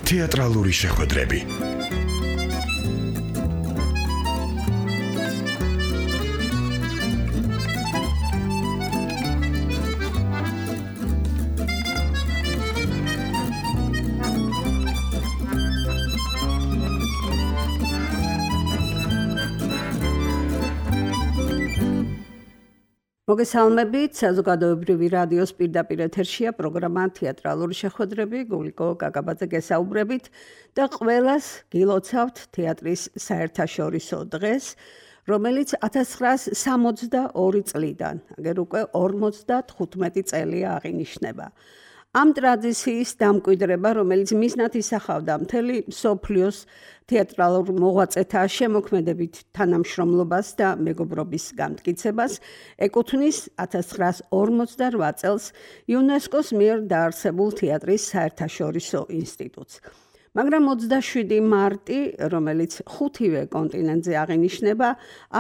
თეატრალური შეხვედრები. მოგესალმებით, საზოგადოებრივი რადიოს პირდაპირ ეთერშია პროგრამა თეატრალური შეხვედრები, გულიკო კაკაბაძე გესაუბრებით და ყველას გილოცავთ თეატრის საერთაშორისო დღეს, რომელიც 1962 წლიდან, აგერ უკვე 55 წელია აღინიშნება. ამ ტრადიციის დამკვიდრება, რომელიც მიზნად ისახავდა მთელი მსოფლიოს თეატრალურ მოღვაწეთა შემოქმედებით თანამშრომლობას და მეგობრობის განმტკიცებას, ეკუთვნის 1958 წელს იუნესკოს მიერ დაარსებულ თეატრის საერთაშორისო ინსტიტუტს. მაგრამ 27 მარტი, რომელიც ხუთივე კონტინენტზე აღინიშნება,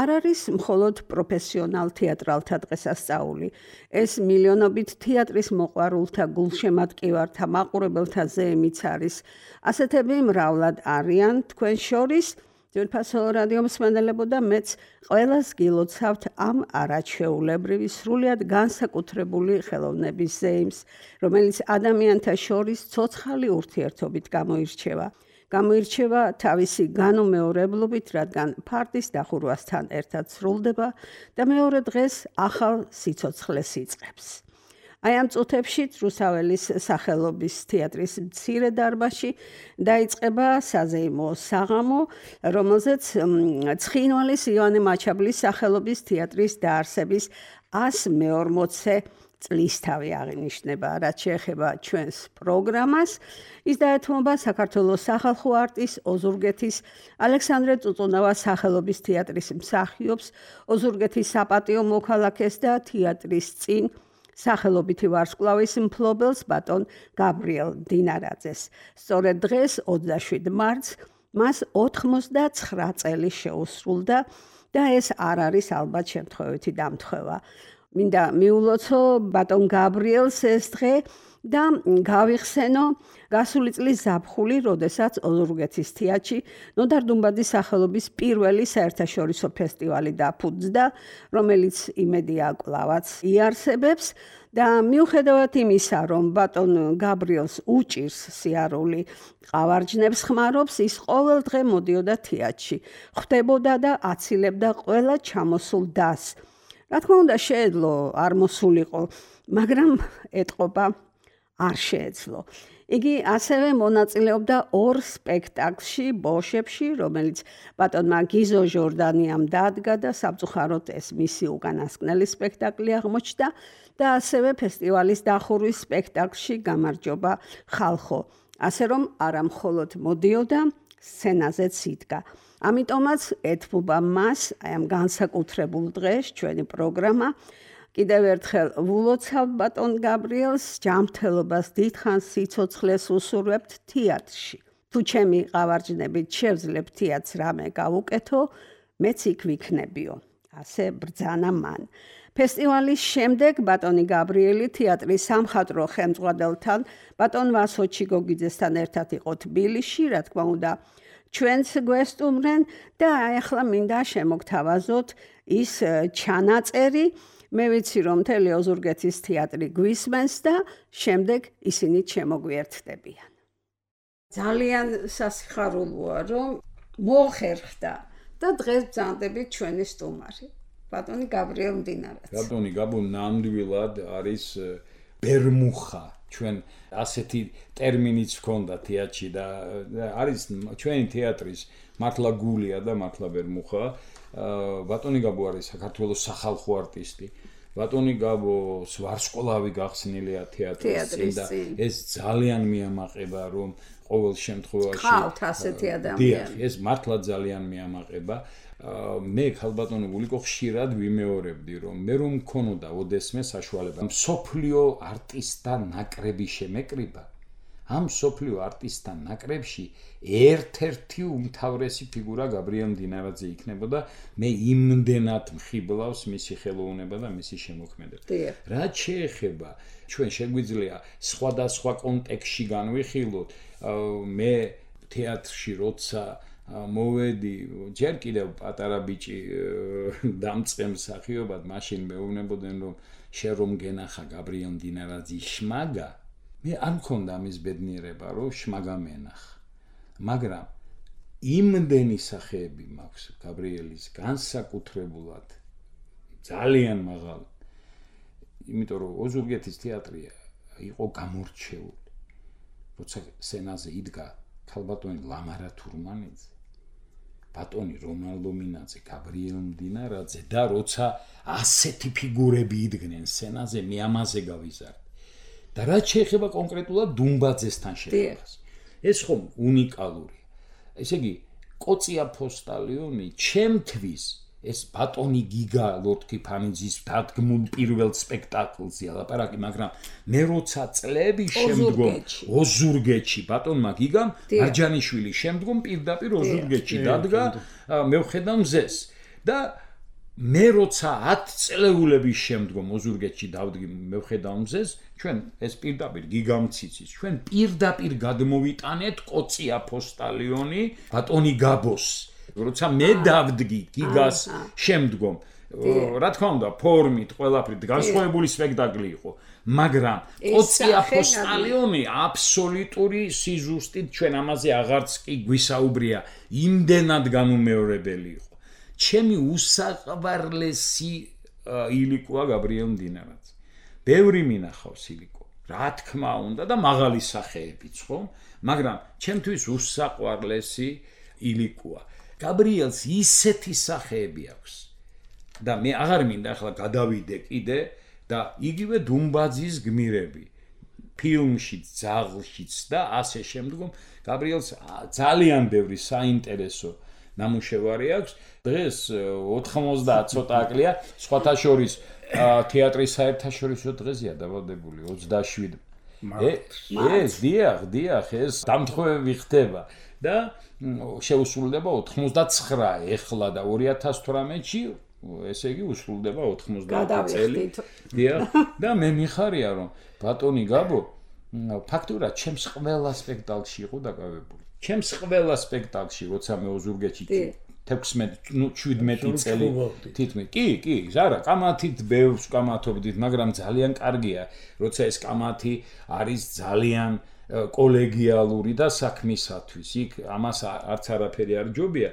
არ არის მხოლოდ პროფესიონალ თეატრალთა დღესასწაული. ეს მილიონობით თეატრის მოყვარულთა გულშემატკივართა მაყურებელთა ზეიმიც არის. ასეთები მრავლად არიან თქვენ შორის, ძვირფასო რადიო მსმენელებო და მეც ყველას გილოცავთ ამ არაჩვეულებრივი სრულიად განსაკუთრებული ხელოვნების ზეიმს, რომელიც ადამიანთა შორის ცოცხალი ურთიერთობით გამოირჩევა. გამოირჩევა თავისი განუმეორებლობით, რადგან ფარდის დახურვასთან ერთად სრულდება და მეორე დღეს ახალ სიცოცხლეს იწყებს. აი ამ წუთებში რუსაველის სახელობის თეატრის მცირე დარბაზში დაიწყება საზეიმო საღამო, რომელზეც ცხინვალის იოანე მაჩაბლის სახელობის თეატრის დაარსების 140 წლისთავი აღინიშნება, რაც შეეხება ჩვენს პროგრამას. ის დაეთმობა საქართველოს სახალხო არტის ოზურგეთის ალექსანდრე წუწუნავას სახელობის თეატრის მსახიობს, ოზურგეთის საპატიო მოქალაქეს და თეატრის წინ სახელობითი ვარსკვლავის მფლობელს ბატონ გაბრიელ დინარაძეს. სწორედ დღეს 27 მარტს მას 89 წელი შეუსრულდა და ეს არ არის ალბათ შემთხვევითი დამთხევა. მინდა მიულოცო ბატონ გაბრიელს ეს დღე და გავიხსენო გასული წლის ზაფხული, როდესაც ოზურგეთის თეატრში ნოდარ დუმბაძის სახელობის პირველი საერთაშორისო ფესტივალი დაფუძნდა, რომელიც იმედია კვლავაც იარსებებს და მიუხედავად იმისა, რომ ბატონ გაბრიელს უჭირს სიარული, ყავარჯნებს ხმარობს, ის ყოველ დღე მოდიოდა თეატრში, ხვდებოდა და აცილებდა ყველა ჩამოსულ დასს. რა თქმა უნდა, შეეძლო არ მოსულიყო, მაგრამ ეტყობა არ შეეძლო. იგი ასევე მონაწილეობდა 2 სპექტაკლში ბოშებში, რომელიც ბატონმა გიზო ჟორდანიამ დადგა და სამწუხაროდ ეს მისი უკანასკნელი სპექტაკლი აღმოჩნდა და ასევე ფესტივალის დახურვის სპექტაკლში გამარჯობა ხალხო. ასე რომ არა მხოლოდ მოდიოდა, სცენაზეც იდგა. ამიტომაც ეთმობა მას აი ამ განსაკუთრებულ დღეს ჩვენი პროგრამა. კიდევ ერთხელ ვულოცავ ბატონ გაბრიელს, ჯანმრთელობას, დიდხანს სიცოცხლეს უსურვებთ თეატრში. თუ ჩემი ყავარჯნებით შევძლებ თეატრს რამე გავუკეთო, მეც იქ ვიქნებიო. ასე ბრძანა მან. ფესტივალის შემდეგ ბატონი გაბრიელი თეატრის სამხატვრო ხელმძღვანელთან, ბატონ ვასო ჩიგოგიძესთან ერთად იყო თბილისში, რა თქმა უნდა, ჩვენც გვესტუმრენ და ახლა მინდა შემოგთავაზოთ ის ჩანაწერი. მე ვიცი, რომ მთელი ოზურგეთის თეატრი გვისმენს და შემდეგ ისინი შემოგვიერთდებიან. ძალიან სასიხარულოა, რომ მოხერხდა და დღეს ბრძანდებით ჩვენი სტუმარი, ბატონი გაბრიელ დინარაძე. ბატონი გაბო ნამდვილად არის ბერმუხა. ჩვენ ასეთი ტერმინიც ჰქონდა თეატრში და არის ჩვენი თეატრის მართლა გულია და მართლა ბერმუხა. ბატონი გაბო არის საქართველოს სახალხო არტისტი. ბატონი გაბოს ვარსკვლავი გახსნილია თეატრის და ეს ძალიან მიამაყება, რომ ყოველ შემთხვევაში ხავთ ასეთი ადამიანი. ეს მართლა ძალიან მიამაყება. მე ხალბატონო გულიკო ხშირად ვიმეორებდი, რომ მე რომ მქონოდა ოდესმე საშუალება მსოფლიო არტისტთა ნაკრები შემეკრიბა, ამ სოფლიო არტისტთან ნაკრებში ერთ-ერთი უმთავრესი ფიგურა გაბრიელ მდინარაძე იქნებოდა. მე იმდენად მხიბლავს მისი ხელოვნება და მისი შემოქმედება. რაც შეეხება ჩვენ შეგვიძლია სხვადასხვა კონტექსტში განვიხილოთ. მე თეატრში როცა მოვედი, ჯერ კიდევ პატარა ბიჭი დამწყემ მსახიობად, მაშინ მეუბნებოდნენ რომ შენ რომ გენახა გაბრიელ მდინარაძის შმაგა, მე არ მქონდა ამის ბედნიერება, რომ შმაგა მენახა. მაგრამ იმდენი სახეები მაქვს გაბრიელის განსაკუთრებულად ძალიან მაღალი. იმიტომ რომ ოზურგეთის თეატრი იყო გამორჩეული. როცა სცენაზე იდგა ქალბატონი ლამარა თურმანიძე, ბატონი რონალდო მინაძე, გაბრიელ მდინარაძე და როცა ასეთი ფიგურები იდგნენ სცენაზე, მე ამაზე გავიზარდე. და რაც შეეხება კონკრეტულად დუმბაძესთან შეხებას. ეს ხომ უნიკალურია. ესე იგი, კოცია ფოსტალიონი ჩემთვის ეს ბატონი გიგა ლორდ კიფანიძის დადგმულ პირველ სპექტაკლზე ლაპარაკი, მაგრამ მე როცა წლების შემდგომ ოზურგეთში ბატონმა გიგამ მარჯანიშვილის შემდგომ პირდაპირ ოზურგეთში დადგა, მე ვხედა მზეს და მე როცა 10 წლეულების შემდგომ ოზურგეთში დავდგი, მე ვხედა მზეს, ჩვენ ეს პირდაპირ გიგამციცის, ჩვენ პირდაპირ გადმოვიტანეთ კოცია ფოსტალიონი ბატონი გაბოს. როცა მე დავდგი გიგას შემდგომ, რა თქმა უნდა, ფორმით, ყველაფრით განსხვავებული სპექტაკლი იყო, მაგრამ კოცია ფოსტალიონი აბსოლუტური სიზუსტით ჩვენ ამაზე აღარც კი გვისაუბრია, იმდენად განუმეორებელი იყო. ჩემი უსაყვარლესი ილიკოა გაბრიელ მდინარაძე. ბევრი მინახავს ილიკო, რა თქმა უნდა და მაღალი სახეებიც ხომ, მაგრამ ჩემთვის უსაყვარლესი ილიკოა. გაბრიელს ისეთი სახეები აქვს და მე აღარ მინდა ახლა გადავიდე კიდე და იგივე დუმბაძის გმირები ფილმშიც, ძაღლშიც და ასე შემდგომ გაბრიელს ძალიან ბევრი საინტერესო ნამუშევარი აქვს. დღეს 90 ცოტა აკლია, სხვათა შორის თეატრის საერთაშორისო დღეზეა დავალდებული 27. ეს დიახ, ეს დამთხოვები ხდება და შეუსრულდება 89 ეხლა და 2018-ში, ესე იგი უსრულდება 90 წელი. დიახ, და მე მიხარია რომ ბატონი გაბო ფაქტურად ჩემს ყველა სპექტაკლში იყო დაკავებული. ჩემს ყველა სპექტაკლში, როცა მე ოზურგეთში 16-17 წელი თითქმის. კი, ზარა, კამათით ბევრს კამათობდით, მაგრამ ძალიან კარგია, როცა ეს კამათი არის ძალიან კოლეგიალური და საქმისათვის. იქ ამას არც არაფერი არ ჯობია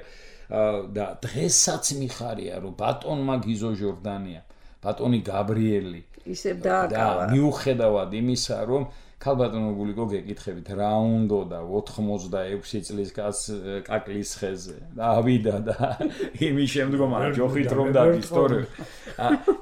და დღესაც მიხარია, რომ ბატონმა გიზო ჟორდანია, ბატონი გაბრიელი ისევ დააკავა. მიუხედავად იმისა, რომ ქალბატონო გულიკო გეკითხებით რა უნდა 86 წლის კაკლის ხეზე და ავიდა და იმის შემდგომ ჯოხით რომ დაგისტორე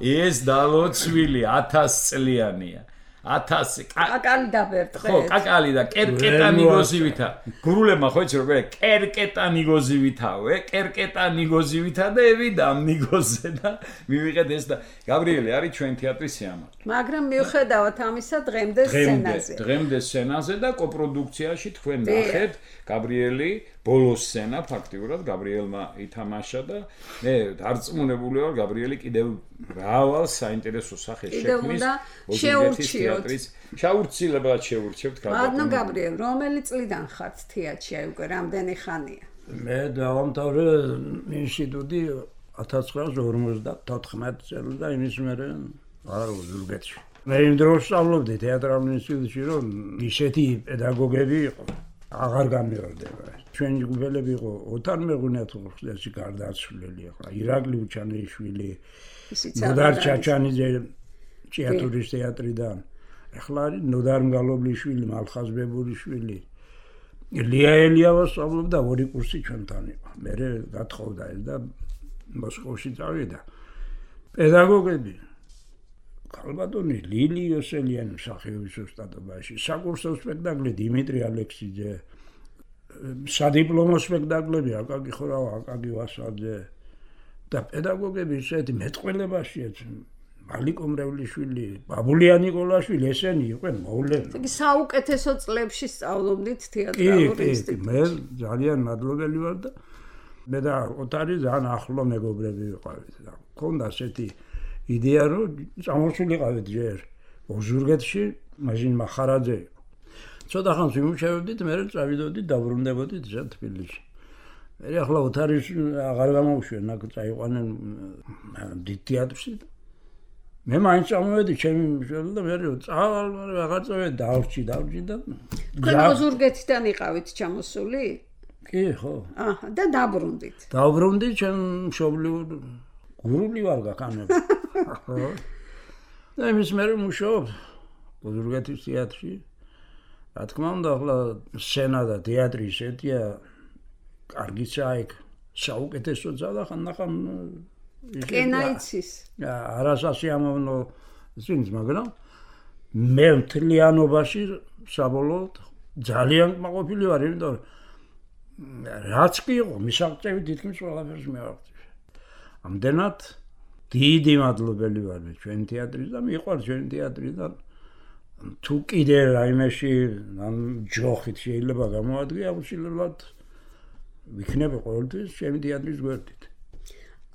ეს დალოცვილი 1000 წლიანია 1000 კაკალი დაბერტყეთ. ხო, კაკალი და კერკეტა ნიგოზივითა. გურულებმა ხო იცი როგორ კერკეტა ნიგოზივითავე, კერკეტა ნიგოზივითა და ევიდა ამ ნიგოზე და მივიღეთ ეს და გაბრიელი არის ჩვენ თეატრის სიამაყე. მაგრამ მიუხედავად ამისა დღემდე სცენაზე. დღემდე სცენაზე და კოპროდუქციაში თქვენ ნახეთ გაბრიელი ბოლო სცენა ფაქტიურად გაბრიელმა ითამაშა და მე დარწმუნებული ვარ გაბრიელი კიდევ მრავალ საინტერესო სახეს შექმნის თეატრის შაურცილებად შეურჩევთ ქალბატონს. ანუ გაბრიელ, რომელი წლიდან ხართ თეატრში, აი უკვე რამდენი ხანია? მე დავამთავრე ინსტიტუტი 1954 წელს და იმის მერე არ ოზურგეთში. მე იმ დროს სწავლობდი თეატრალურ ინსტიტუტში, რომ ისეთი პედაგოგები იყო, აღარ გამიორდება. ჩვენი ჯგუფელები იყო ოთარ მეღუნათურხლესი გარდაცვლილი ახლა, ირაკლი უჩანეიშვილი, ნოდარ ჩაჩანიძე თეატრის თეატრიდან, ახლა არის ნოდარ მგალობლიშვილი, მალხაზ ბებურიშვილი, ლია ელიავა სწავლობდა ორი კურსი ჩვენთან იყო. მე გათხოვდა ეს და მოსკოვში წავიდა. პედაგოგები ქალბატონი ლილი იოსელიანი მსახიობის ოსტატობაში, საკურსო სპექტაკლი დიმიტრი ალექსიძე, სადიპლომო სპექტაკლები აკაკი ხორავა, აკაკი ვასაძე და პედაგოგები ისეთი მეტყველებაშიაც მალიკო მრევლიშვილი, ბაბულია ნიკოლაშვილი, ესენი იყვნენ მოვლენილ. იგი საუკეთესო წლებში სწავლობდით თეატრალურ ინსტიტუტში. მე ძალიან მადლობელი ვარ და მე და ოთარი ძალიან ახლო მეგობრები ვიყავით და მქონდა ასეთი იდეა რომ წამოსულიყავით ჯერ ოზურგეთში, მაშინ მახარაძე იყო. ცოტა ხანს ვიმუშავებდით, მე წავიდოდით, დაბრუნდებოდით თბილისში. მე ახლა ოთარის აღარ გამოვშვენ, აქ წაიყვანენ დიდ თეატრში. მე მაინც წამოვედი ჩემი მშობელი და მე წავალ, მაგრამ აღარ წავედი, დავრჩი და თქვენ ოზურგეთიდან იყავით ჩამოსული? კი, ხო. აჰა, და დაბრუნდით. დაბრუნდი ჩემ მშობლიურ გურული ვარ გაქანები. ხო. და იმის მე მუშაობ ოზურგეთის თეატრში. რა თქმა უნდა, ახლა სცენა და თეატრი ისეთია, კარგიცა იქ საუკეთესოა და ხანდახან კენაიცის. არასასიამოვნო წინს, მაგრამ მე მთლიანობაში საბოლოოდ ძალიან კმაყოფილი ვარ, იმიტომ რომ რაც კი იყო, მისაღწევი თითქმის ყველაფერს მივაღწევ. ამდენად დიდი მადლობელი ვარ მე ჩვენი თეატრის და მიყვარს ჩვენი თეატრი და თუ კიდე რაიმეში ამ ჯოხით შეიძლება გამოადგე, აუცილებლად ვიქნები ყოველთვის ჩემი თეატრის გვერდით.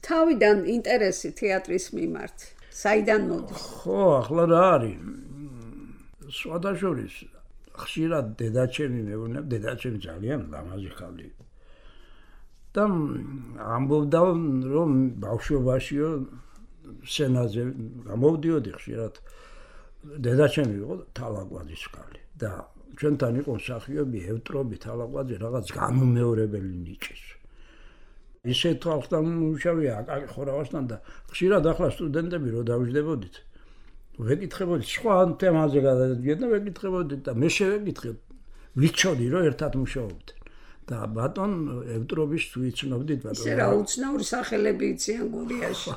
თავიდან ინტერესი თეატრის მიმართ საიდან მოდის? ხო, ახლა რა არის? სხვადასხვა ხშირად დედაჩემი მეუბნებ, დედაჩემი ძალიან ლამაზი ხალხი. და ამბობდა რომ ბავშვობაშიო სცენაზე გამოვდიოდი ხშირად. დედაჩემი იყო თალაკვაძის ხალხი და ჩვენთან იყო მსახიობი ევტრობი თალაკვაძე, რაღაც განუმეორებელი ნიჭის. ისე თვალხთან მუშავია აკაკი ხორავასთან და ხშირად ახლა სტუდენტები რო დავიждებოდით ვეკითხებოდით სხვა თემაზე გადადიოდნენ და ვეკითხებოდით და მე შევეკითხე ვიცოდი რომ ერთად მუშაობდნენ და ბატონ ევტრობის თუ იცნობდით ბატონ ისე რა უცნაური სახელები იციან გურიაში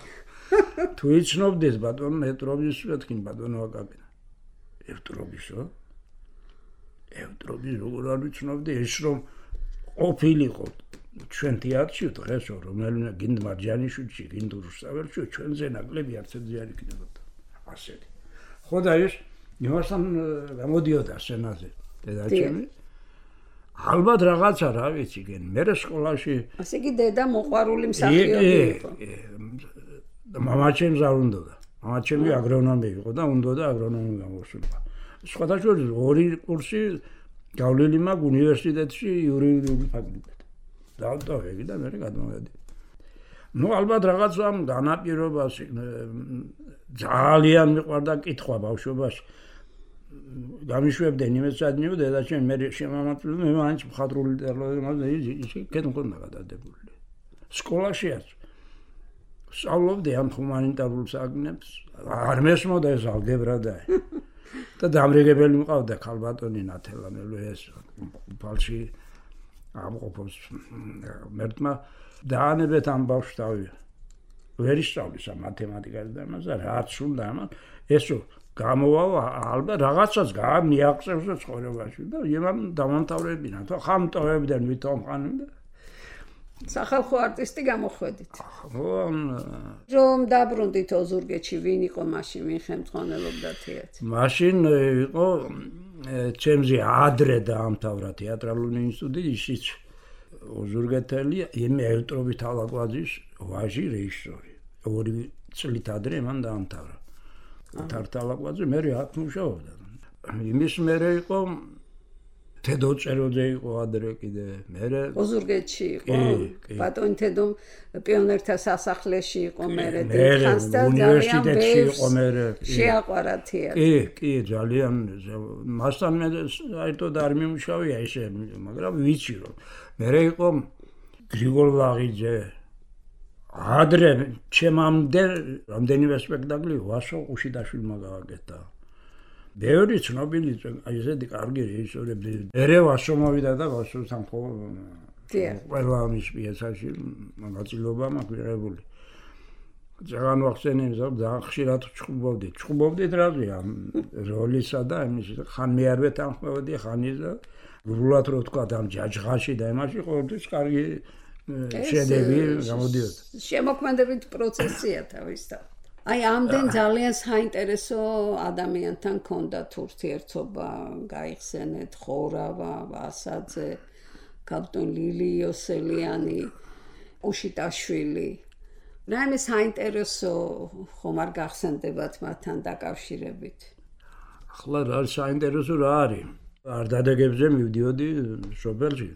თუ იცნობდით ბატონ ევტრობის ვეთქინ ბატონო აკაკი ევტრობისო ევტრობის როგორ არ ვიცნობდი ეს რომ ყოფილიყო ჩვენ თეატრში დღეს რომელიმე გინდ მარჯანიშვილში, გინდ რუსთაველში ჩვენზე ნაკლები არც ერთი არ იქნებოდა. ასეთი. ხო და ეს იმასთან გამოდიოდა სცენაზე დედაჩემი. ალბათ რაღაცა რა ვიცი გენ. მე სკოლაში ასე იგი დედა მოყვარული მსახიობი იყო. მამაჩემს არ უნდოდა. მამაჩემი აგრონომი იყო და უნდოდა აგრონომი გამოსულიყო. სხვადასხვა ორი კურსი გავლილი მაქვს უნივერსიტეტში იურიდიული ფაკულტეტი. დავტოვები და მე გადმოვედი. ნუ ალბათ რაღაც ამ განაპირობას ძალიან მიყვარდა კითხვა ბავშვობაში. გამიშვებდნენ იმეცადნიო დედაჩემი მე შემამართლე მე მაინც მხატვრული ლიტერატურაზე ისე კეთ მქონდა გადადებული. სკოლაშიაც სწავლობდი ამ ჰუმანიტარულ საგნებს. არ მესმოდა ეს ალგებრა და დამრიგებელი მყავდა ქალბატონი ნათელანელო ეს ფალში ამყოფობს მერტმა დაანებეთ ამ ბავშვს თავი ვერ ისწავლის ამ მათემატიკას და ამაზე რაც უნდა ამან ესო გამოვა ალბათ რაღაცას გაამიაღწევს ცხოვრებაში და იმან დამამთავრებინა თუ ხამტოვებდნენ ვითომ ხანი და სახალხო არტისტი გამოხვედით. ხო რომ დაბრუნდით ოზურგეთში ვინ იყო მაშინ ვინ ხელმძღვანელობდა თეატრს? მაშინ იყო ჩემზე ადრე დაამთავრა თეატრალური ინსტიტუტი ისიც ოზურგეთელი იმ ევტრობი თალაკვაძის ვაჟი რეჟისორი. ორი წლით ადრე მან დაამთავრა. თალაკვაძე მე აქ მუშაობდა. იმის მერე იყო თედო წეროძე იყო ადრე კიდე მერე ოზურგეთში იყო ბატონი თედო პიონერთა სასახლეში იყო მერე დიდხანს და უნივერსიტეტში იყო მერე შეაყვარა თეატრი კი ძალიან მასთან მე საერთოდ არ მიმუშავია ესე მაგრამ ვიცი რომ მერე იყო გრიგოლ ლაღიძე ადრე ჩემამდე რამდენიმე სპექტაკლი ვასო ყუშიდაშვილმა გავაკეთა ბევრი ცნობილი ესეთი კარგი რეჟისორები ერევასო მოვიდა და ვასოსთან ხო ყველა ამის პიესაში მონაწილეობა მაქვს მიღებული ძალიან ვახსენებ ძალიან ხშირად ჩხუბობდით რაზეა როლისა და იმის ხან მე არ ვეთანხმებოდი ხანის და გრულად რო თქვა ამ ჯაჯღაში და იმაში ყოველთვის კარგი შედევრი გამოდიოდა შემოქმედებით პროცესია თავისთავად აი ამდენ ძალიან საინტერესო ადამიანთან ქონდათ ურთიერთობა, გაიხსენეთ ხორავა, ვასაძე, კაპიტან ლილი იოსელიანი, უშიტაშვილი. რაიმე საინტერესო ხომ არ გახსენდებათ მათთან დაკავშირებით? ახლა რა საინტერესო რა არის? არ დადეგებზე მივდიოდი სოფელში.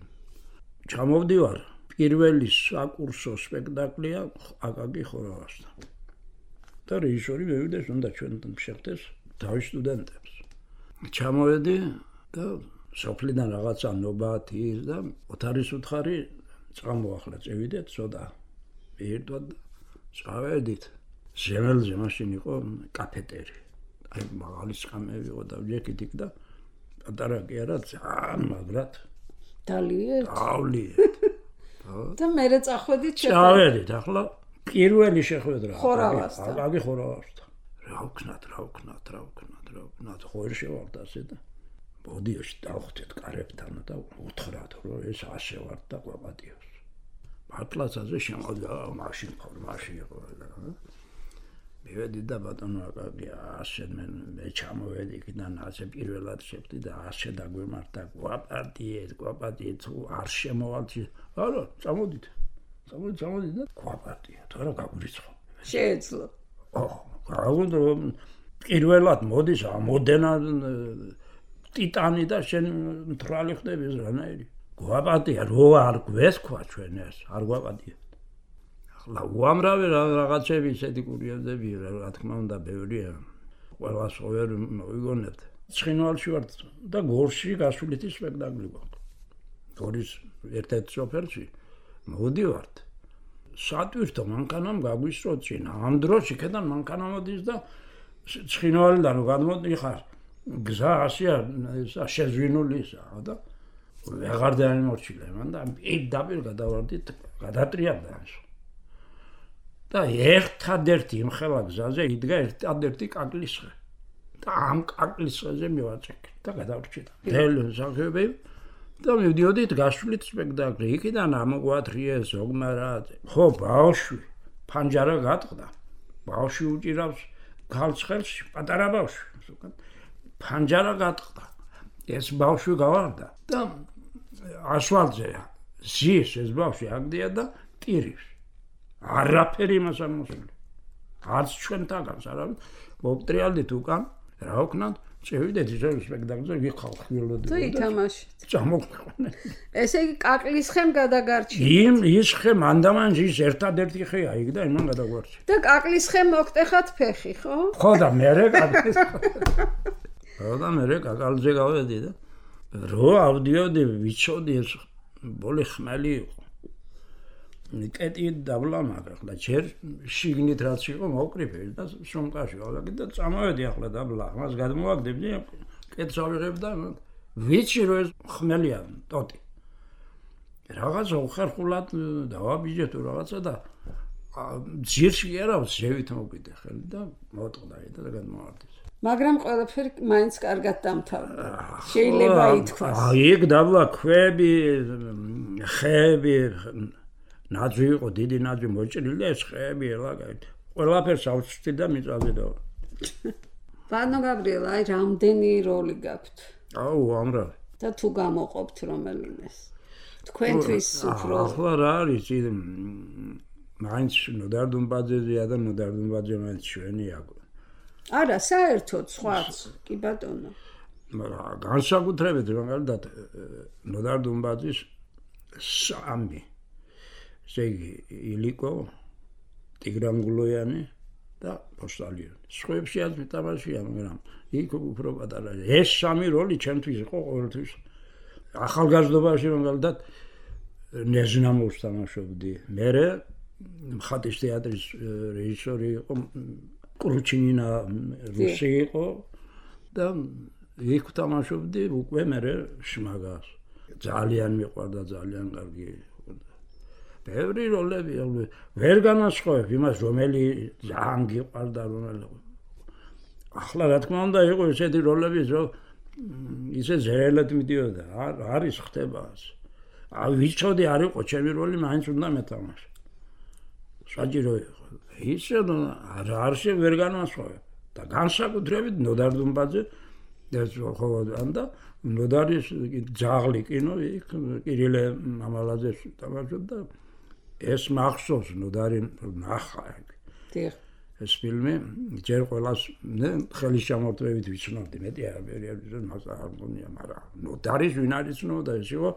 ჩამოვდივარ. პირველი საკურსო სპექტაკლია აკაკი ხორავასთან. და რეჟისორი მევიდეს უნდა ჩვენთან შეხვდეს თავის სტუდენტებს. ჩამოვედი და სოფლიდან რაღაცა ნობათი და ოთარის უთხარი წამოახლა წევიდეთ ცოტა. ერთად წავედით. ზემელზე მაშინ იყო კაფეტერი. აი მაღალი სკამები იყო და ვიეკით იქ და პატარა კი არა ძალიან მაგრად დალიეთ. დავლიეთ. და მე წახვედით წავედით ახლა პირველი შეხვედრა ხორავასთან. აკაკი ხორავასთან. რა ვქნათ, ხო ვერ შევართ ასე და ბოდიოში დავხვდეთ კარებთან და უთხრათ რომ ეს ასე ვარ და ყვაპატიოს. მართლაცაზე შემოვიდა მაშინ ფორმაში იყო და მივედი და ბატონო აკაკი ასე მე ჩამოვედი იქიდან ასე პირველად შეხვდი და ასე დაგვემართა ყვაპატიეთ თუ არ შემოვალთ არა წამოდით და ყვაპატია თორე გაგვირიცხო შეეძლო გავუნდო პირველად მოდის ამოდენა ტიტანი და შენ მთრალი ხდები რანაირი ყვაპატია რო არ გვესქვა ჩვენ ეს არ ყვაპატია ახლა უამრავი რაღაცები ისეთი კურიოზები რა თქმა უნდა ბევრია ყველას ვერ მოვიგონებთ ცხინვალში ვარ და გორში გასულითი სპექტაკლი გვაქვს გორის ერთ-ერთ სოფელში მოვდივართ სატვირთო მანქანამ გაგვისწრო წინა ამ დროს იქიდან მანქანა მოდის და ცხინვალიდან გადმოდიხარ გზა ასია შეზვინულისა და ვეღარ დაიმორჩილე მან და პირდაპირ გადავარდით გადატრიალდა და ერთადერთი იმხელა გზაზე იდგა ერთადერთი კაკლისხე და ამ კაკლისხეზე მივაწექი და გადავრჩით დელსახები და მივდიოდით გასვლით სპექტაკლი იქიდან ამოგვათრიეს ზოგმარად ხო ბავშვი ფანჯარა გატყდა ბავშვი უჭირავს ქალს ხელში პატარა ბავშვი ფანჯარა გატყდა ეს ბავშვი გავარდა და ასვალზე ზის ეს ბავშვი აგდია და ტირებს არაფერი მას არ მოსული არც ჩვენ თაგანს არავინ მოვტრიალდით უკან რა ვქნათ წევიდეთ ისე სპექტაკლზე ვიხალხილოდი და ითამაშეთ წამოყვანე ესე იგი კაკლისხემ გადაგარჩიეთ ის ხე მანდამანჯის ერთადერთი ხეა იქ და იმან გადაგვარჩი და კაკლისხემ მოგტეხათ ფეხი ხო და მე კაკალზე გავედი და რო ავდიოდი ვიცოდი ეს ბოლი ხმალი იყო კეტი დაბლამაგ ახლა ჯერ შიგნით რაც იყო მოვკრიფე და სუმკაში გავაკეთე და წამოვედი ახლა დაბლა მას გადმოვაგდებდი კეტს ავიღებ და ვიცი რომ ეს ხმელია ტოტი რაღაცა უხერხულად დავაბიჯე თუ რაღაცა და ძირში არა ზევით მოვიდე ხელი და მოტყდა და გადმოვარდი მაგრამ ყველაფერი მაინც კარგად დამთავრდა შეიძლება ითქვას იქ დაბლა ქვები ხეები ნაძვი იყო დიდი ნაძვი მოჭრილი და ეს ხეები ელაგეთ ყველაფერს ავწვდი და მიწავდა ბანო გაბრიელა აი რამდენი როლი გაქვთ აუ ამრავი და თუ გამოყოფთ რომელინეს თქვენთვის უფრო ახლა რა არის მაინც ნოდარდუმბაძეა და ნოდარდუმბაძე მაინც ჩვენია არა საერთოდ სხვაც კი ბატონო განსაკუთრებით რომელდად ნოდარდუმბაძის სამი ზეგი ილიკო ტიგრანგულოიანი და პოსტალიონი სხვებში არ მიტამაშია მაგრამ იქ უფრო პატარა ეს სამი როლი ჩემთვის იყო ყოველთვის ახალგაზრდობაში რომელდად ნეზნამოს თამაშობდი მე მხატის თეატრის რეჟისორი იყო კრუჩინინა რუსი იყო და იქ თამაშობდი უკვე მე შმაგას ძალიან მიყვარდა ძალიან კარგი ბევრი როლები ვერ განასხვავებ იმას რომელი ძალიან გიყვარდა რომელი ახლა რა თქმა უნდა იყო ესეთი როლები რომ ისე ზერელად მიდიოდა არის ხდება ვიცოდი არ იყო ჩემი როლი მაინც უნდა მეთამაშე საჭირო იყო. ისე არ ვერ განვასხვავებ და განსაკუთრებით ნოდარ დუმბაძე ეს ხოლმე და ნოდარის ძაღლი კინო იქ კირილე მამალაძეს თამაშობდა ეს მახსოვს ნოდარი ნახა დიახ ეს ფილმი ჯერ ყველას ხელის ჩამორთმევით ვიცნობდი მეტი არაფერი მას არ მგონია მაგრამ ნოდარის ვინ არის ცნობდა ეს იყო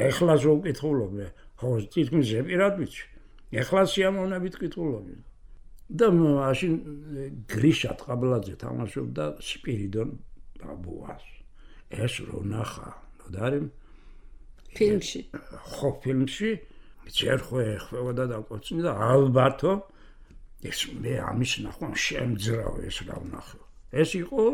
ეხლა ზოგკითხულობ ხო თითქმის ზეპირად ვიცი ეხლა სიამოვნებით კითხულობ და მაშინ გრიშა ტყაბლაძე თამაშობდა სპირიდონ ბაბუას ეს რო ნახა ნოდარი ფილმში ხო ფილმში ჯერ ხვეოდა და კოცნი და ალბათო ეს მე ამის ნახვა შემძრავ ეს რა ვნახო ეს იყო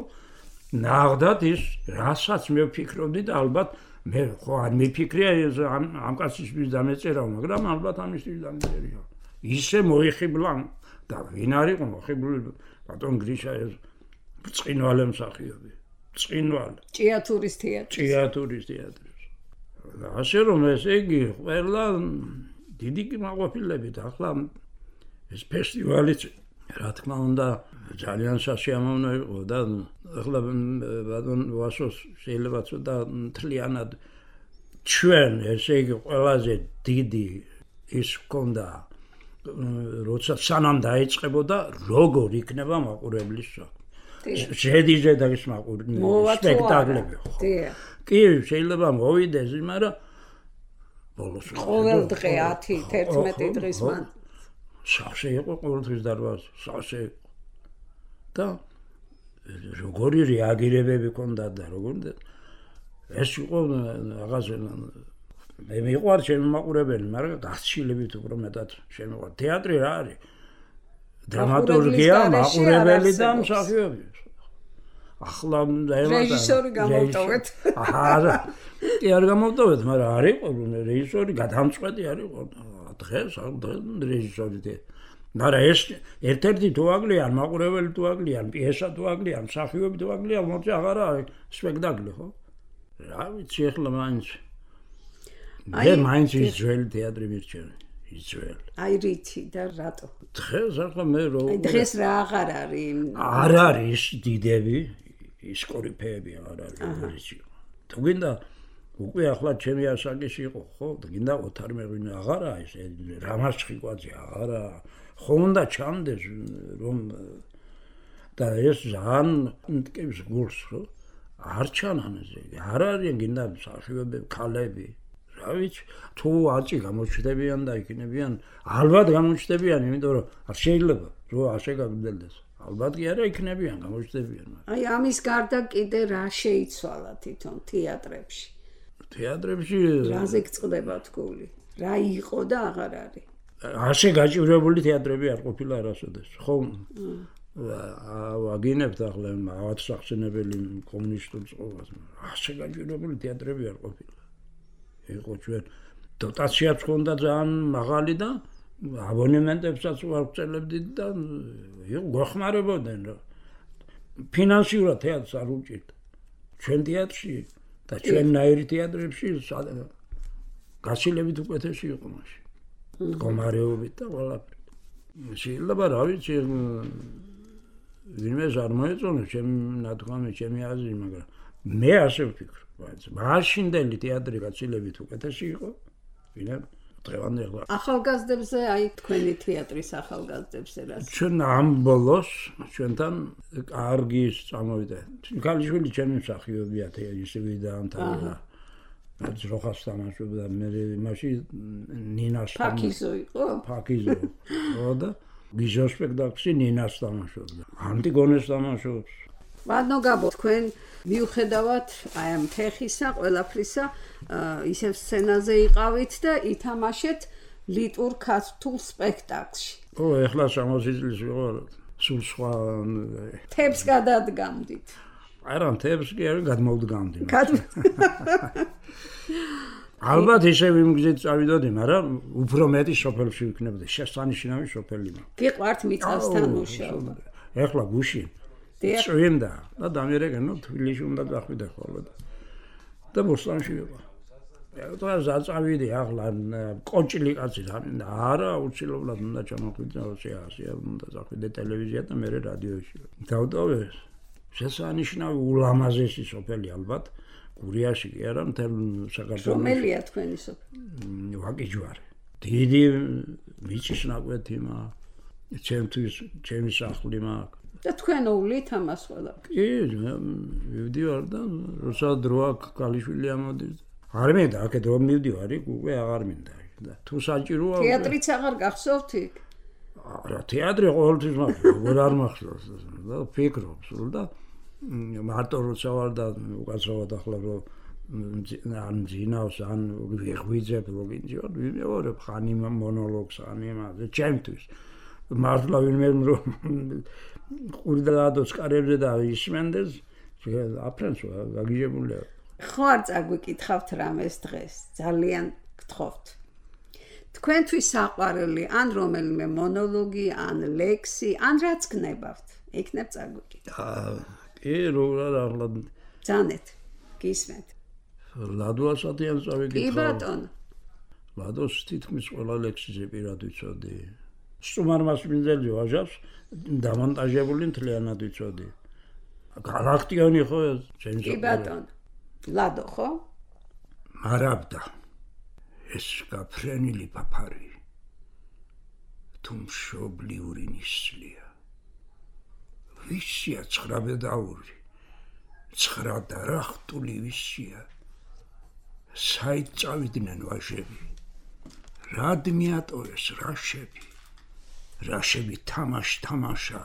ნახდათ ის რასაც მე ვფიქრობდი და ალბათ მე ხო არ მიფიქრია ამ კაცისთვის დამეწერა მაგრამ ალბათ ამისთვის დამეწერია ისე მოიხიბლა და ვინ არის მოხიბლული ბატონ გრიშა ეს ბრწყინვალე მსახიობი ბრწყინვალე ჭიათურის თეატრი და ასე რომ ესე იგი ყველა დიდი კმაყოფილებით ახლა ეს ფესტივალიც რა თქმა უნდა ძალიან სასიამოვნო იყო და ახლა ბატონ ვასოს შეიძლება ცოტა მთლიანად ჩვენ ესე იგი ყველაზე დიდი ის ჰქონდა როცა სანამ დაიწყებოდა როგორ იქნება მაყურებლის შედიჟე და ის სპექტაკლები კი შეიძლება მოვიდეს მაგრამ ბოლოს ყოველ დღე 10-11 დღის მან სავსე იყო ყოველთვის დარბაზი სავსე და როგორი რეაგირებები ჰქონდა და როგორ ეს იყო რაღაცა მე მიყვარ ჩემი მაყურებელი მაგრამ გასცილებით უფრო მეტად შემიყვარ თეატრი რა არის დრამატურგია მაყურებელი და მსახიობი ახლა რეჟისორი გამოვტოვეთ არა კი არ გამოვტოვეთ მაგრამ არ იყო რეჟისორი გადამწყვეტი არ იყო დღეს რეჟისორი მაგრამ ეს ერთ-ერთი თუ აკლიან მაყურებელი თუ აკლიან პიესა თუ აკლიან მსახიობი თუ აკლიან მოწე აღარა არის სპექტაკლი ხო რა ვიცი ახლა მაინც ის ძველი თეატრი მირჩევი ის ძველი აი რითი და რატო დღეს ახლა მე რო დღეს რა აღარ არის არ არის დიდები ის კორიფეები არ არის თუ გინდა უკვე ახლა ჩემი ასაკში იყო ხო გინდა ოთარ მეღვინე აღარა ეს რამას ჭიკვაძე აღარა ხო უნდა ჩამდეს რომ და ეს ძალიან მტკივის გულს ხო არ ჩანან ესე არ არის გინდა მსახიობები ქალები რა ვიცი თუ არჩი გამოჩნდებიან და იქნებიან ალბათ გამოჩნდებიან იმიტომ რომ არ შეიძლება რომ ასე გაგრძელდეს ალბათ კი არა იქნებიან გამოჩნდებიან აი ამის გარდა კიდე რა შეიცვალა თვითონ თეატრებში რაზე გწყდება თქული რა იყო და აღარ არის ასე გაჭირვებული თეატრები არ ყოფილა არასოდეს ხო ვაგინებთ ახლა ავად სახსენებელი კომუნისტურ წყობას ასე გაჭირვებული თეატრები არ ყოფილა იყო ჩვენ დოტაციაც ჰქონდა ძალიან მაღალი და აბონემენტებსაც ვარწელებდით და გვეხმარებოდნენ რა ფინანსურად თეატრს არ უჭირდა ჩვენ თეატრში და ჩვენნაირი თეატრებში გასილებით უკეთესი იყო მაშინ მდგომარეობით და ყველაფრით შეიძლება რა ვიცი ვინმე არ მოეწონებს ჩემი ნათქვამი ჩემი აზრი მაგრამ მე ასე ვფიქრობ მაშინდელი თეატრი გაცილებით უკეთესი იყო ვინმე დღევანდელი ახალგაზრდებზე აი თქვენი თეატრის ახალგაზრდებზე რა ჩვენ ამ ბოლოს ჩვენთან კარგი წამოვიდა ქალიშვილი ჩემი მსახიობია ისევ დაამთავრა ძროხას თამაშობდა მე მაშინ ნინას ფაკიზო იყო ფაკიზო ხო და ბიჟო სპექტაკლში ნინას თამაშობდა ანტიგონეს თამაშობს ბატონო გაბო თქვენ მიუხედავად აი ამ ფეხისა ყველაფრისა ისევ სცენაზე იყავით და ითამაშეთ ლიტურ ქართულ სპექტაკლში ო ეხლა 60 წლის ვიყავ სულ სხვა თებს გადადგამდით არა თებს კი არ გადმოვდგამდი ალბათ ისე ვიმგზით წავიდოდი მაგრამ უფრო მეტი სოფელში ვიქნებოდი შესანიშნავი სოფელი გიყვართ მიწასთან მუშაობა ეხლა გუში წვიმდა და დამერეგენო თბილისში უნდა დახვიდე ხოლმე და ბოსტონში ვიყავ და ზაწავიდი ახლა კონჭილი კაცი არა უცილებლად უნდა ჩამოხვიდე ოსიასია უნდა წახვიდე ტელევიზია და მე რადიოში დავტოვე შესანიშნავი ულამაზესი სოფელი ალბათ გურიაში კი არა მთელ საქართველოში რომელია თქვენი სოფელი ვაკიჯვარი დიდი მიწის ნაკვეთი მაქვს ჩემთვის ჩემი სახლი მაქვს და თქვენ უვლით ამას ყველა კი მივდივარ და როცა დრო აქვს ქალიშვილი ამოდის არ მინდა აქეთ რომ მივდივარ უკვე აღარ მინდა და თუ საჭიროა თეატრიც აღარ გახსოვთ იქ არა თეატრი ყოველთვის მაქვს როგორ არ მახსოვს და ფიქრობ სულ და მარტო როცა ვარ და უკაცრავად ახლა რომ ან ძინავს ან ვიღვიძებ როგორ ვიმეორებ ხანი მონოლოგს ან იმაზე ჩემთვის მართლა ვინმე რომ ყურდადოს კარებზე და ისმენდეს აფრენს გაგიჟებულია ხო არ წაგვიკითხავთ რამეს დღეს ძალიან გთხოვთ თქვენთვის საყვარელი ან რომელიმე მონოლოგი ან ლექსი ან რაც გნებავთ იქნებ წაგვიკითხავთ კი როგორ ახლა ძანეთ გისმენთ ლადოასადიან წავიკითხავ კი ბატონო ლადოს თითქმის ყველა ლექსიზე პირად ვიცოდი სტუმარ მასპინძელი ვაჟავს დამონტაჟებული მთლიანად ვიცოდი გალაქტიონი ხო ჩემს კი ბატონო ლადო ხო მარაბდა ეს გაფრენილი პაფარი თუ მშობლიური ნისლია ვისია ცხრაბედაური ცხრა დარახტული ვისია საით წავიდნენ ვაჟები რად მიატოვეს რაშები თამაშა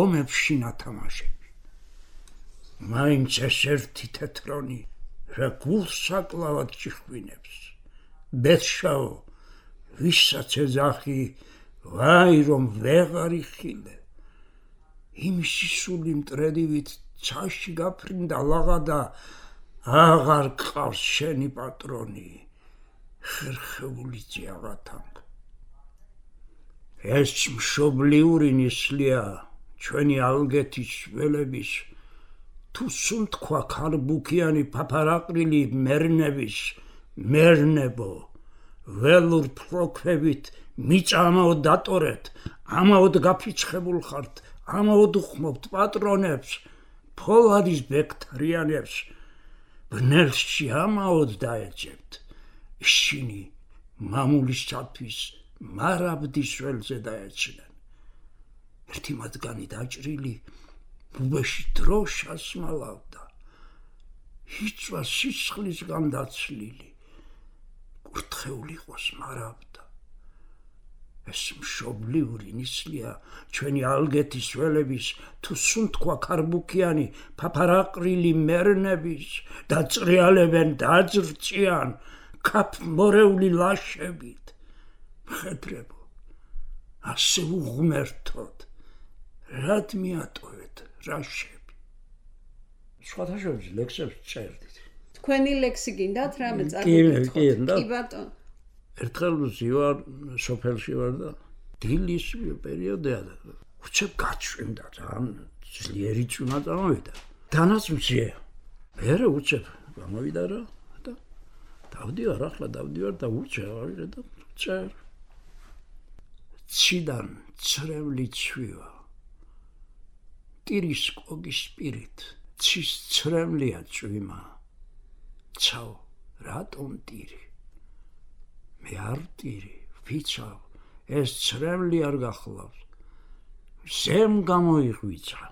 ომებში ნათამაშები მაინც ეს ერთი თეთრონი რა გულს საკლავად ჭიხვინებს ბეთშაო ვისაც ეძახი ვაი რომ ვეღარ იხილე იმისი სული მტრედივით ცაში გაფრინდა ლაღა და აღარ გყავს შენი პატრონი ხერხეული ძიაღათანგ ეს მშობლიური ნისლია ჩვენი ალგეთის ველების თუ სულ თქვა ქარბუქიანი ფაფარაყრილი მერნების მერნებო ველურ ფროქვებით მიწამაოდ დატორეთ ამაოდ გაფიცხებულ ხართ ამაოდ უხმობთ პატრონებს ფოლადის ბექტრიანებს ბნელში ამაოდ დაეძებთ ისინი მამულისათვის მარაბდის ველზე დაეცნენ ერთი მათგანი დაჭრილი ბუბეში დროშას მალავდა იწვა სისხლისგან დაცლილი კურთხეული იყოს მარაბდა ეს მშობლიური ნისლია ჩვენი ალგეთის ველების თუ სულ თქვა ქარბუქიანი ფაფარაყრილი მერნების დაწრიალებენ დაძრწიან ქაფ მორეული ლაშებით მხედრებო ასე უღმერთოთ რად მიატოვეთ რაშები სხვათაშორის ლექსებს წერდით თქვენი ლექსი გინდათ რამე წაგიკითხოთ კი ბატონო ერთხელ ვარ სოფელში ვარ და დილის პერიოდია და უცებ გაჩვენდა ძალიან ძლიერი წვიმა წამოვიდა დანაც მცირე მერე უცებ გამოვიდა რა და დავდივარ ახლა და უჩევარ და წერ ციდან ცრემლი ცვივა ტირის კოგის სპირით ცის ცრემლია წვიმა ცაო რატომ ტირი მე არ ტირი ვიცავ ეს ცრემლი არ გახლავს ზემ გამოიღვიძა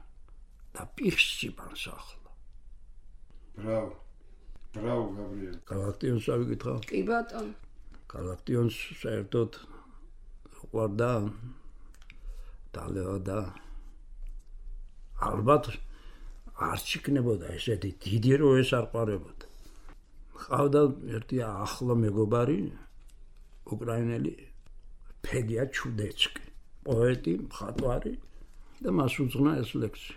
და პირსიბანს ახლა ბრავო გაბრიელ გალაქტიონს ავიკითხავ კი ბატონო გალაქტიონს საერთოდ უყვარდა დალევა და ალბათ არ ჩიქნებოდა ესეთი დიდი რო ეს არ ყარებოდა ყავდა ერთი ახლო მეგობარი უკრაინელი ფედია ჩუდეცკი პოეტი მხატვარი და მას უძღვნა ეს ლექსი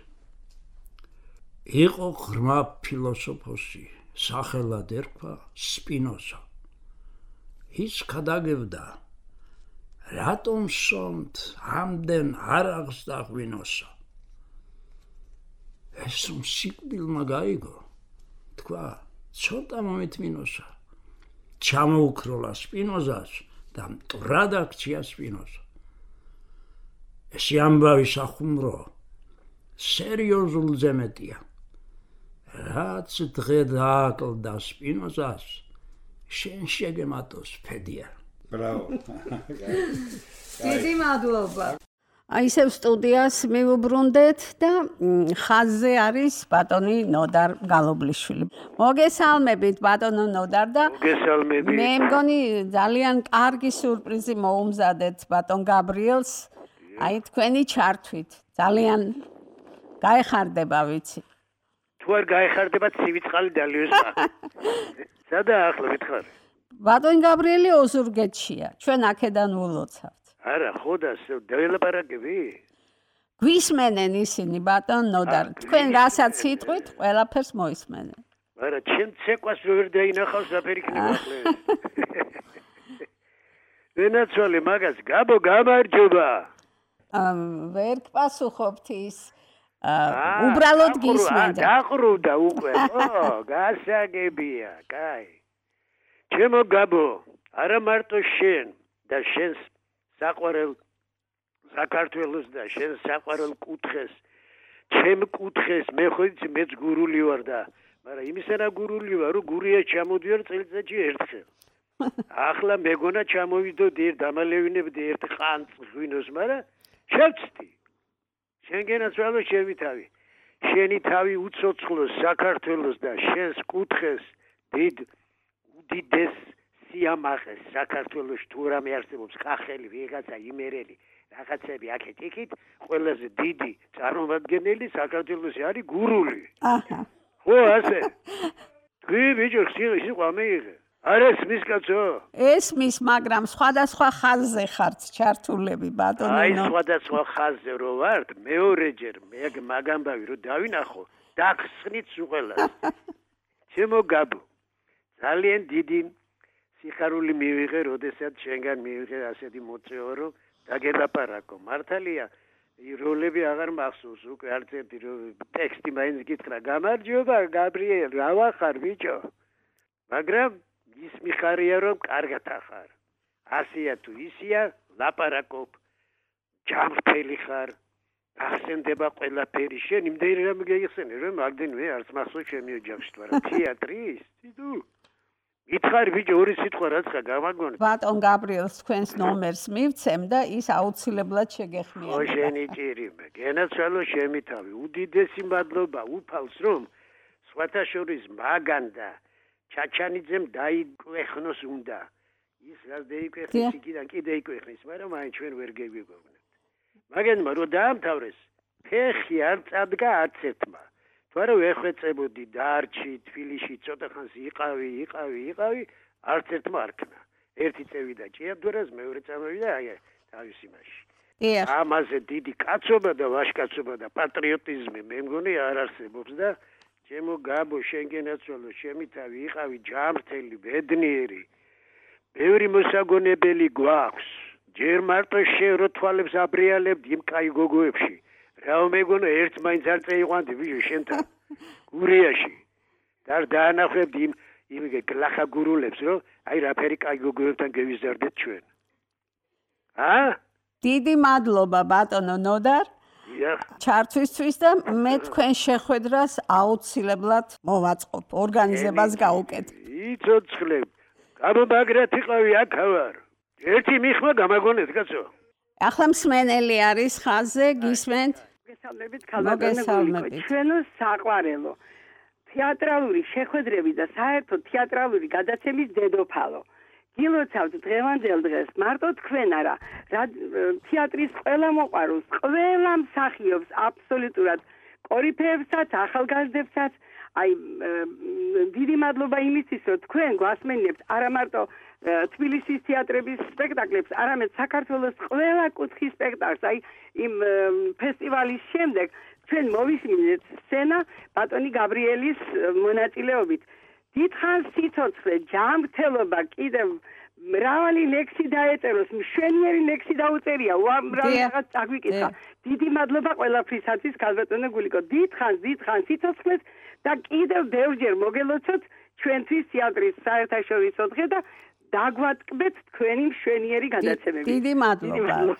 იყო ღრმა ფილოსოფოსი სახელად ერქვა სპინოზა ის გადაგებდა რატომ სომთ ამდენ არაღს და ღვინოსა ეს სიკვდილმა გაიგო თქვა ცოტა მომეთმინოსა ჩამოუქროლა სპინოზას და მტრად აქცია სპინოზა. ეს ამბავი სახუმრო სერიოზულ ზემეტია. რაც დღე დააკლდა სპინოზას, შენ შეგემატოს ფედია. ბრავო. დიდი მადლობა. ისევ სტუდიას მივუბრუნდეთ და ხაზზე არის ბატონი ნოდარ გალობლიშვილი. მოგესალმებით ბატონო ნოდარ და მოგესალმებით. მე მგონი ძალიან კარგი სურპრიზი მოუმზადეთ ბატონ გაბრიელს. აი თქვენი ჩართვით ძალიან გაეხარდება ვიცი. თუ არ გაეხარდება ცივი წყალი დალიოსა. სადა ახლა მითხარ? ბატონ გაბრიელი ოზურგეთშია. ჩვენ აქედან ვლოცავთ. არა, ხო და დაველაპარაკები? გვისმენენ ისინი ბატონ ნოდარ. თქვენ რასაც იტყვით, ყველაფერს მოისმენენ. არა, ჩემ ცეკვას ვერ დაინახავსაფერი იქნება ახლა. ვენაცვალე მაგას გაბო გამარჯობა. ვერ გპასუხობთ ის უბრალოდ გისმენდა. დაყრუდა უკვე. ო, გასაგებია, კაი. ჩემო გაბო, არა მარტო შენ და შენს საყვარელ საქართველოს და შენს საყვარელ კუთხეს, ჩემ კუთხეს, მე ხო იცი მეც გურული ვარ და, მაგრამ იმისანა გურული ვარ, რომ გურია ჩამოდიარ წელიწადში ერთხელ. ახლა მეგონა ჩამოვიდოდი ერთ დამალევინებდი ერთ ყანწ ღვინოს, მაგრამ შევწდი. შენგენაც ვალო შევითავი. შენი თავი უცოცხლოს საქართველოს და შენს კუთხეს უდიდეს სიამაყეს საქართველოს თუ რამე არსებობს კახელი, ვიღაცა იმერელი, რაღაცები აქეთ იქით, ყველაზე დიდი წარმომადგენელი საქართველოსი არის გურული. აჰა. ხო, ასე. თქვი ბიჭო, სიყვა მეიღე. არ ესმის კაცო? ესმის, მაგრამ სხვადასხვა ხაზზე ხართ ჩართულები ბატონო. აი სხვადასხვა ხაზზე რო ვართ, მეორეჯერ მაგ ამბავი რო დავინახო, დაგხსნით უყელას. ჩემო გაბო, ძალიან დიდი სიხარული მივიღე, როდესაც შენგან მივიღე ასეთი მოწვევა, რომ დაგელაპარაკო. მართალია, როლები აღარ მახსოვს უკვე არც ერთი ტექსტი მაინც გითხრა. გამარჯობა გაბრიელ, რა ვახარ ბიჭო? მაგრამ ის მიხარია რომ კარგად ახარ. ასია თუ ისია, ლაპარაკობ. ჯამრთელი ხარ. ახსენდება ყველაფერი. შენ იმდენი რამე გაიხსენე, რომ მაგდენვე არც მახსოვს ჩემი ოჯახში, მაგრამ თეატრის, თითო. ითხარი ბიჭო, ორი სიტყვა რაცა გამაგონე. ბატონ გაბრიელს თქვენს ნომერს მივცემ და ის აუცილებლად შეგეხმიანება. ხო შენი ჭირიმე. გენაცვალო შემითავი. უდიდესი მადლობა უფალს რომ სხვათა შორის მაგან და ჩაჩანიძემ დაიკვეხნოს უნდა. ის რაც დაიკვეხნის, იქიდან კიდე იკვეხნის, მაგრამ აი ჩვენ ვერ გეგვიგებნებთ. მაგენმა რო დაამთავრეს, ფეხი არ წადგა არც ერთმა. თუ არა ვეხვეწებოდი დარჩი, თბილისში ცოტა ხანს იყავი, არც ერთმა არ ქნა. ერთი წევიდა ჭიაბდურას, მეორე წამოვიდა აი თავის იმაში. ამაზე დიდი კაცობა და ვაჟკაცობა და პატრიოტიზმი მე მგონი არ არსებობს და ჩემო გაბო შენგენაცვალო შემითავი იყავი ჯამრთელი ბედნიერი ბევრი მოსაგონებელი გვაქვს ჯერ მარტო შენ რო თვალებს აბრიალებდი იმ კაი გოგოებში რა მეგონო ერთ მაინც არ წეიყვანდი ბიჭო შენთან გურიაში და დაანახებდი იმ გლახა გურულებს რომ აი რაფერი კაი გოგოებთან გევიზარდეთ ჩვენ დიდი მადლობა ბატონო ნოდარ ჩართვისთვის და მე თქვენ შეხვედრას აუცილებლად მოვაწყობ ორგანიზებას გავუკეთებ იცოცხლებ გამომაგრათ იყავი აქავარ ერთი მიხმა გამაგონეთ კაცო ახლა მსმენელი არის ხაზზე გისმენთ მოგესალმებით ქალბატონო ჩვენო საყვარელო თეატრალური შეხვედრები და საერთოდ თეატრალური გადაცემის დედოფალო გილოცავთ დღევანდელ დღეს მარტო თქვენ არა თეატრის ყველა მოყვარულს ყველა მსახიობს აბსოლუტურად კორიფეებსაც ახალგაზრდებსაც აი დიდი მადლობა იმისთვის რომ თქვენ გვასმენებთ არა მარტო თბილისის თეატრების სპექტაკლებს არამედ საქართველოს ყველა კუთხის სპექტაკლს აი იმ ფესტივალის შემდეგ ჩვენ მოვისმინეთ სცენა ბატონი გაბრიელის მონაწილეობით დიდხანს სიცოცხლე ჯანმრთელობა კიდევ მრავალი ლექსი დაეწეროს მშვენიერი ლექსი დაუწერია რაღაც აგვიკითხა დიდი მადლობა ყველაფრისათვის ქალბატონო გულიკო დიდხანს სიცოცხლეს და კიდევ ბევრჯერ მოგელოცოთ ჩვენთვის თეატრის საერთაშორისო დღე და დაგვატკბეთ თქვენი მშვენიერი გადაცემები.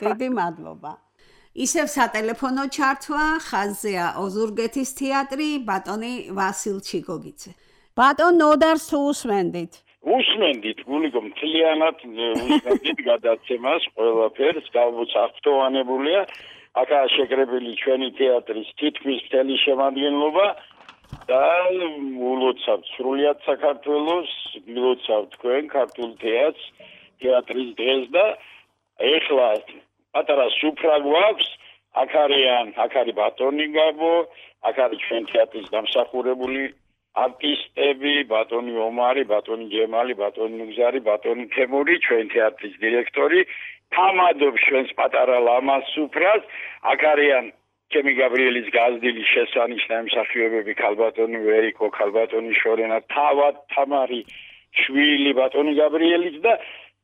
დიდი მადლობა. ისევ სატელეფონო ჩართვა ხაზზეა ოზურგეთის თეატრი ბატონი ვასილ ჩიგოგიძე. ბატონ ნოდარს თუ უსმენდით? უსმენდით, გულიკო მთლიანად უსმენდით გადაცემას, ყველაფერს გავუცახტოვანებულია. აქაა შეკრებილი ჩვენი თეატრის თითქმის მთელი შემადგენლობა და ულოცავთ სრულიად საქართველოს, გილოცავთ თქვენ ქართულ თეატრის დღეს და ეხლა პატარა სუფრა გვაქვს, აქ არის ბატონი გაბო, აქ არის ჩვენ თეატრის დამსახურებული არტისტები, ბატონი ომარი, ბატონი ჯემალი, ბატონი ნუგზარი, ბატონი თემური, ჩვენ თეატრის დირექტორი, თამადობს ჩვენს პატარა ლამაზ სუფრას, აქ არიან ჩემი გაბრიელის გაზრდილი შესანიშნავი მსახიობები, ქალბატონი ვერიკო, ქალბატონი შორენა, თავად თამარი, შვილი ბატონი გაბრიელის და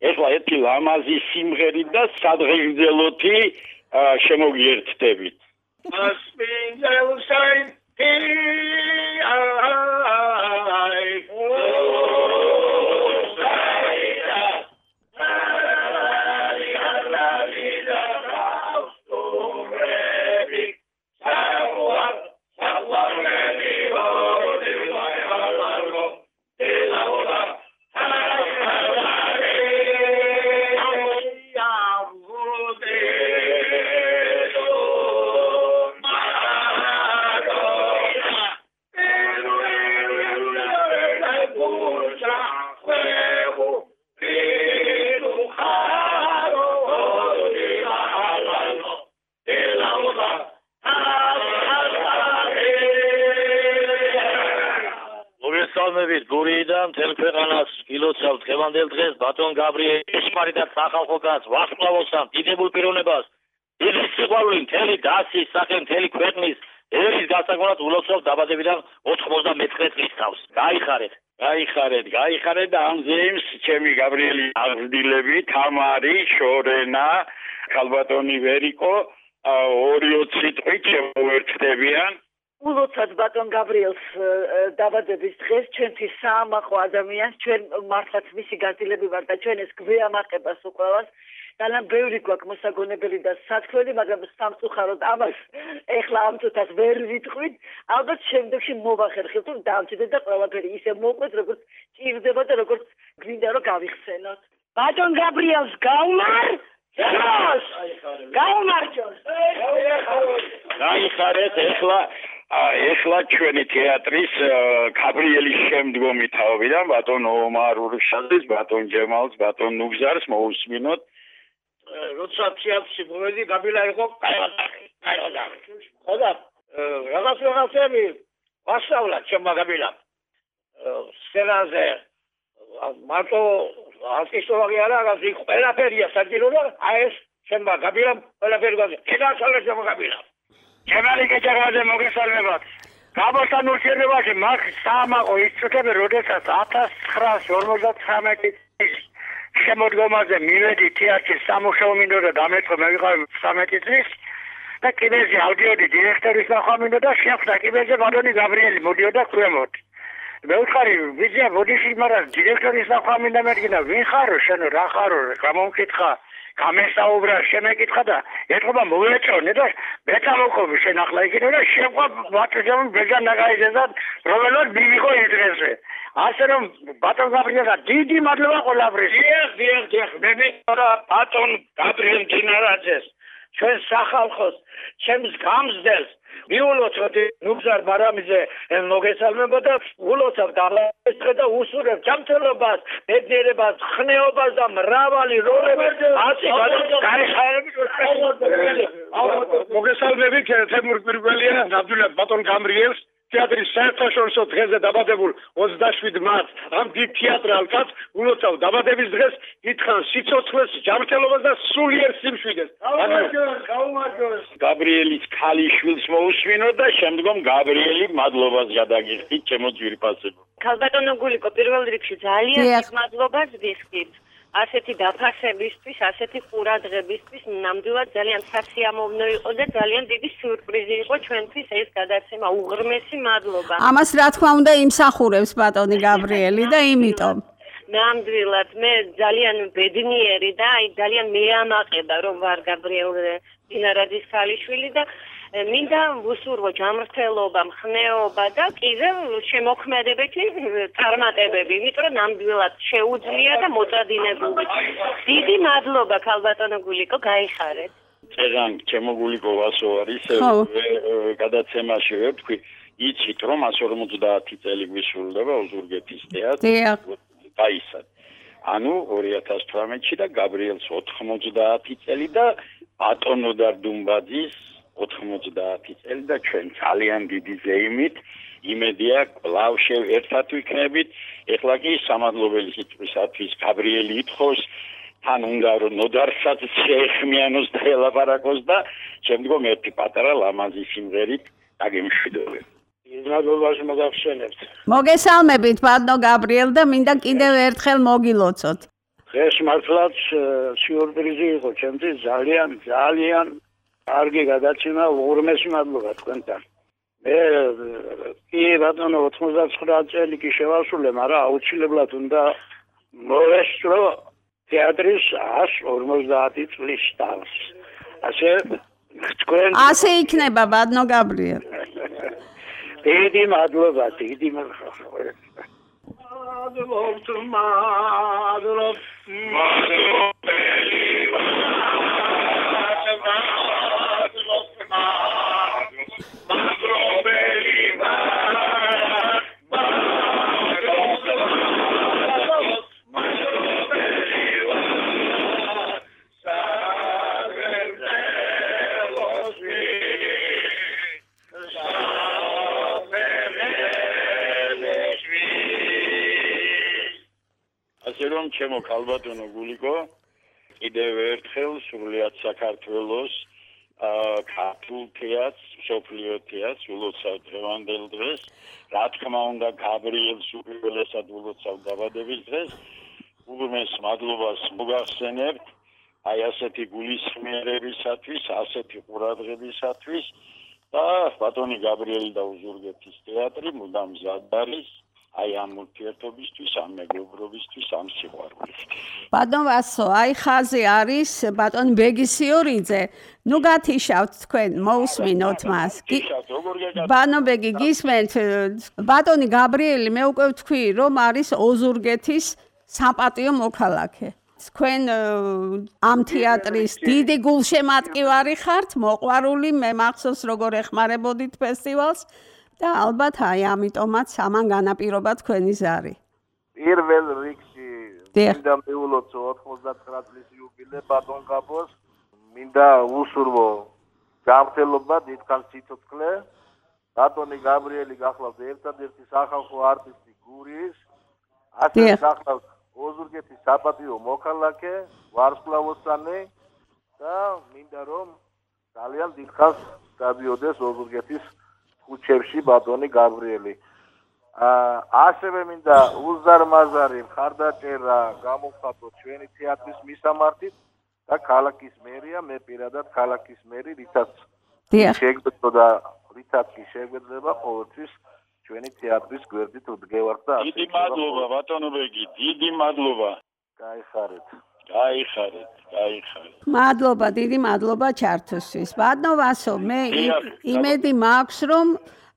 ეხლა ერთი ლამაზი სიმღერით და სადღეგრძელოთი შემოგიერთდებით. დღევანდელ დღეს ბატონ გაბრიელ ესპარიდან სახალხო განს ვახსნავოსამ დიდებულ პიროვნებას დიდი სიყვარული მთელი დასის სახე მთელი ქვეყნის ერის გასაგონად ულოცავ დაბადებიდან 99 წლის თავს. გაიხარეთ და ამ ზეიმს ჩემი გაბრიელი აღზრდილები თამარი, შორენა, ქალბატონი ვერიკო 2-20 სიტყვით შემოერთდებიან. ულოცავთ ბატონ გაბრიელს დაბადების დღეს ჩვენთვის საამაყო ადამიანს ჩვენ მართლაც მისი გაზრდილები ვართ და ჩვენ ეს გვეამაყებას უყევას ძალიან ბევრი გვაქვს მოსაგონებელი და სათქმელი, მაგრამ სამწუხაროდ ამას ეხლა ამ წუთას ვერ ვიტყვით. ალბათ შემდეგში მოვახერხებთ რომ დავჭიდეთ და ყველაფერი ისე მოყვეთ როგორც ჭირდება და როგორც გვინდა რომ გავიხსენოთ. ბატონ გაბრიელს გაუმარ გაიხარეთ ეხლა ჩვენი თეატრის გაბრიელის შემდგომი თაობიდან ბატონ ომარ ურშაძეს, ბატონ ჯემალს, ბატონ ნუგზარს მოусმინოთ. როცა თეატრში მოვედი, გაბილა იყო კაი. ხოდა რაღაცები ვასწავლა ჩემმა გაბილამ. სცენაზე მარტო არტისტოვანი არა, რაღაც ყველაფერია საჭირო და აი ეს ჩემმა გაბილამ ყველაფერი გვაქვს. კეთასალე ჩემმა გაბილამ. ჩემალი კეჭაღაძე მოგესალმებათ. გაბოსთან ურთიერთობაში მაგ საამაყო ის წუთები, როდესაც 1959 წლის შემოდგომაზე მივედი თეატრში სამუშაო მინდო და დამეწყო მე ვიყავ 13 წლის და კიდეზე ავდიოდი დირექტორის ნახვა მინდო და შეხვდა კიდეზე ბატონი გაბრიელი მოდიოდა ქვემოთ. მე ვუთხარი ვიზია ბოდიში, მაგრამ დირექტორის ნახვა მინდა მერგინა ვინ ხარო შენო რა ხარო გამომკითხა გამესაუბრა შემეკითხა და ეთქობა მოვეჭონე და მეწამოყობი შენ ახლა იქით და შეყვა ბატონი ბეჯან ნაგაიზედა რომელად მივიღო ეს დღესზე. ასე რომ ბატონ გაბრიელს დიდი მადლობა ყველაფრის. დიახ მე მithora ბატონ გაბრიელ მდინარაძეს ჩვენ სახალხოს ჩემს გამზდელს მიულოცოთ ნუგზარ ბარამიძე მოგესალმება და ულოცავ დაბადების დღე და უსურებ ჯანმრთელობას, ბედნიერებას, ხნეობას და მრავალი როლები ასე გაიხარებით. მოგესალმებით თემურ პირველია ნამდვილად ბატონ გაბრიელს თეატრის საერთაშორისო დღეზე დაბადებულ 27 მარტს ამ დიდ თეატრალ კაცს ულოცავ დაბადების დღეს, ითხრან სიცოცხლეს, ჯანმრთელობას და სულიერ სიმშვიდეს. გაუმარჯოს. გაბრიელის ქალიშვილს მოусმინოთ და შემდგომ გაბრიელი მადლობას გადაგიხდით ჩემო ძვირფასებო. ქალბატონო გულიკო პირველ რიგში ძალიან მადლობას ვიხდით. ასეთი დაფასებისთვის, ასეთი ყურადღებისთვის ნამდვილად ძალიან სასიამოვნო იყო და ძალიან დიდი სიურპრიზი იყო ჩვენთვის ეს გადაცემა. უღრმესი მადლობა. ამას რა თქმა უნდა იმსახურებს ბატონი გაბრიელი და იმიტომ ნამდვილად მე ძალიან ბედნიერი და აი ძალიან მეამაყება რომ ვარ გაბრიელ დინარაძის ქალიშვილი და მინდა ვუსურვო ჯანმრთელობა, მხნეობა და კიდევ შემოქმედებითი წარმატებები, იმიტომ რომ ნამდვილად შეუძლია და მოწადინებული. დიდი მადლობა ქალბატონო გულიკო, გაიხარეთ. წერან ჩემო გულიკო ვასო არის გადაცემაში ვთქვი, იცით რომ 150 წელი გვისრულდება ოზურგეთის თეატრი. გაისად. ანუ 2018-ში და გაბრიელს 90 წელი და ბატონო დარდუმბაძის 90 წელი და ჩვენ ძალიან დიდი ზეიმით იმედია კვლავ ერთად ვიქნებით. ეხლა კი სამადლობელი სიტყვისათვის გაბრიელი ითხოვს თან უნდა რომ ნოდარსაც შეეხმიანოს და ელაპარაკოს და შემდგომ ერთი პატარა ლამაზი სიმღერით დაგემშვიდობებ. მადლობას მოგახსენებთ. მოგესალმებით ბატონო გაბრიელ და მინდა კიდევ ერთხელ მოგილოცოთ. ეს მართლაც სიურპრიზი იყო ჩემთვის ძალიან კარგი გადაცემა, უღრმესი მადლობა თქვენთან. მე კი ბატონო 99 წელი კი შევასრულე, მაგრამ აუცილებლად უნდა მოვესწრო თეატრის 150 წლის თავს. ასე იქნება ბატონო გაბრიელ. დიდი მადლობა, დიდი მადლობა. რომ ჩემო ქალბატონო გულიკო კიდევ ერთხელ სრულიად საქართველოს ქართულ თეატრს, მსოფლიო თეატრს ულოცავ დღევანდელ დღეს. რა თქმა უნდა გაბრიელს უპირველესად ულოცავ დაბადების დღეს. უღრმეს მადლობას მოგახსენებთ აი ასეთი გულისხმიერებისათვის, ასეთი ყურადღებისათვის და ბატონი გაბრიელი და ოზურგეთის თეატრი მუდამ მზად არის აი ამ ურთიერთობისთვის, ამ მეგობრობისთვის, ამ სიყვარულისთვის. ბატონ ვასო, აი ხაზი არის ბატონ ბეგისიორიძე. ნუ გათიშავთ თქვენ, მოусმინოთ მას. ბატონ ბეგი გისმენთ, ბატონი გაბრიელი მე უკვე ვთქვი, რომ არის ოზურგეთის საპატიო მოქალაქე. თქვენ ამ თეატრის დიდი გულშემატკივარი ხართ, მოყვარული, მე მახსოვს როგორ ეხმარებოდით ფესტივალს. და ალბათ აი ამიტომაც ამან განაპირობა თქვენი ზარი. პირველ რიგში მინდა მეულოცო 99 წლის იუბილე ბატონ გაბოს. მინდა უსურვო ჯანმრთელობა, დიდხანს სიცოცხლე. ბატონი გაბრიელი გახლავთ ერთადერთი სახალხო არტისტი გურიის. ასე გახლავთ ოზურგეთის საპატიო მოქალაქე, ვარსკვლავოსანი და მინდა რომ ძალიან დიდხანს დადიოდეს ოზურგეთის ხუჩებში ბატონი გაბრიელი. ასევე მინდა უზარმაზარი მხარდაჭერა გამოვხატო ჩვენი თეატრის მისამართით და ქალაქის მერია, მე პირადად ქალაქის მერი, რითაც შეგვეძლო რითაც კი შეგვეძლება ყოველთვის ჩვენი თეატრის გვერდით ვდგევართ და დიდი მადლობა ბატონო ბეგი, დიდი მადლობა. გაიხარეთ. მადლობა, დიდი მადლობა ჩართვისთვის. ბატონო ვასო, მე იმედი მაქვს, რომ